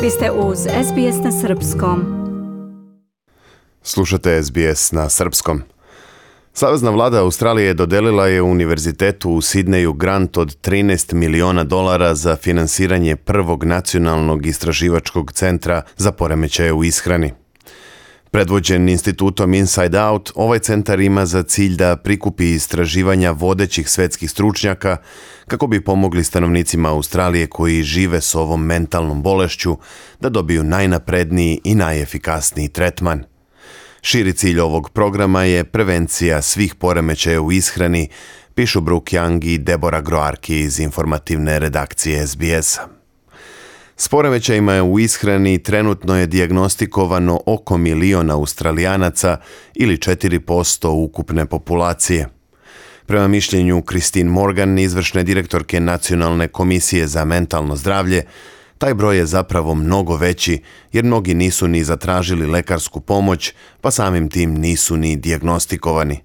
Vi ste uz SBS na Srpskom. Slušate SBS na Srpskom. Savezna vlada Australije dodelila je Univerzitetu u Sidneju grant od $13 miliona za finansiranje prvog nacionalnog istraživačkog centra za poremećaje u ishrani. Predvođen institutom Inside Out, ovaj centar ima za cilj da prikupi istraživanja vodećih svetskih stručnjaka kako bi pomogli stanovnicima Australije koji žive s ovom mentalnom bolešću da dobiju najnapredniji i najefikasniji tretman. Širi cilj ovog programa je prevencija svih poremećaja u ishrani, pišu Brooke Young i Deborah Groarki iz informativne redakcije SBS-a. S poremećajima u ishrani trenutno je dijagnostikovano oko 1 milion Australijanaca ili 4% ukupne populacije. Prema mišljenju Christine Morgan, izvršne direktorke Nacionalne komisije za mentalno zdravlje, taj broj je zapravo mnogo veći jer mnogi nisu ni zatražili lekarsku pomoć, pa samim tim nisu ni dijagnostikovani.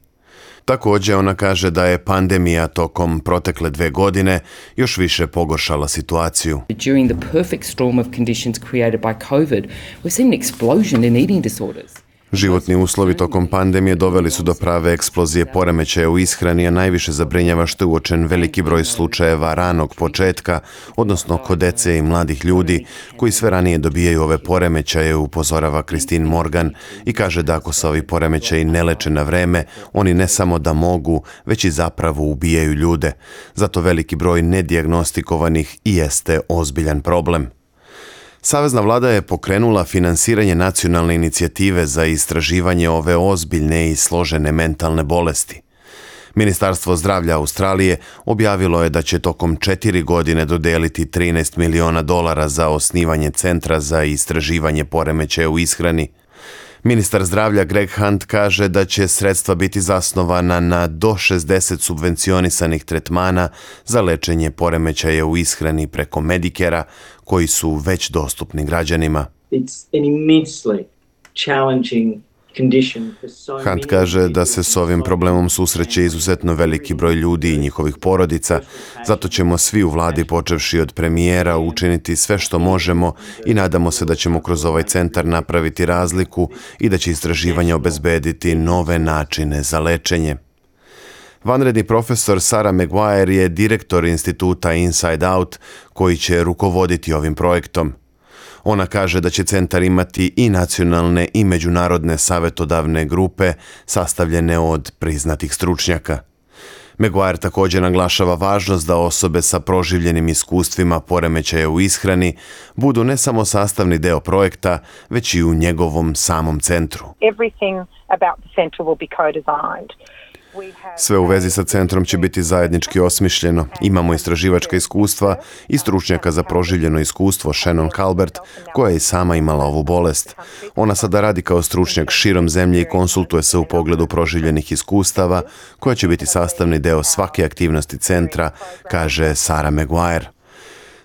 Također ona kaže da je pandemija tokom protekle 2 godine još više pogoršala situaciju. During the perfect storm of conditions created by COVID, we've seen an explosion in eating disorders. Životni uslovi tokom pandemije doveli su do prave eksplozije poremećaja u ishrani, a najviše zabrinjava što je uočen veliki broj slučajeva ranog početka, odnosno kod dece i mladih ljudi koji sve ranije dobijaju ove poremećaje, upozorava Christine Morgan i kaže da ako se ovi poremećaji ne leče na vreme, oni ne samo da mogu, već i zapravo ubijaju ljude. Zato veliki broj nedijagnostikovanih i jeste ozbiljan problem. Savezna vlada je pokrenula finansiranje nacionalne inicijative za istraživanje ove ozbiljne i složene mentalne bolesti. Ministarstvo zdravlja Australije objavilo je da će tokom 4 godine dodeliti $13 miliona za osnivanje centra za istraživanje poremećaja u ishrani. Ministar zdravlja Greg Hunt kaže da će sredstva biti zasnovana na do 60 subvencionisanih tretmana za lečenje poremećaja u ishrani preko Medicare-a koji su već dostupni građanima. Hunt kaže da se s ovim problemom susreće izuzetno veliki broj ljudi i njihovih porodica, zato ćemo svi u vladi, počevši od premijera, učiniti sve što možemo i nadamo se da ćemo kroz ovaj centar napraviti razliku i da će istraživanje obezbediti nove načine za lečenje. Vanredni profesor Sarah Maguire je direktor instituta Inside Out koji će rukovoditi ovim projektom. Ona kaže da će centar imati i nacionalne i međunarodne savjetodavne grupe sastavljene od priznatih stručnjaka. Maguire također naglašava važnost da osobe sa proživljenim iskustvima poremećaja u ishrani budu ne samo sastavni deo projekta, već i u njegovom samom centru. Sve u vezi sa centrom će biti zajednički osmišljeno. Imamo istraživačka iskustva i stručnjaka za proživljeno iskustvo Shannon Calvert, koja je i sama imala ovu bolest. Ona sada radi kao stručnjak širom zemlje i konsultuje se u pogledu proživljenih iskustava, koja će biti sastavni deo svake aktivnosti centra, kaže Sarah Maguire.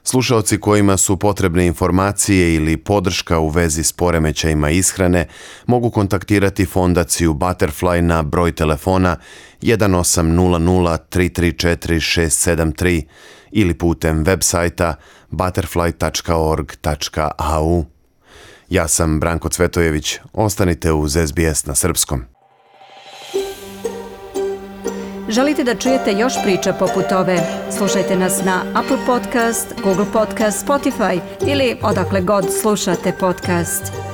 Slušaoci kojima su potrebne informacije ili podrška u vezi s poremećajima ishrane mogu kontaktirati fondaciju Butterfly na broj telefona 1800 334 673 ili putem web sajta butterfly.org.au. Ja sam Branko Cvetojević. Ostanite uz SBS na Srpskom. Želite da čujete još priča poput ove? Slušajte nas na Apple Podcast, Google Podcast, Spotify ili odakle god slušate podcast.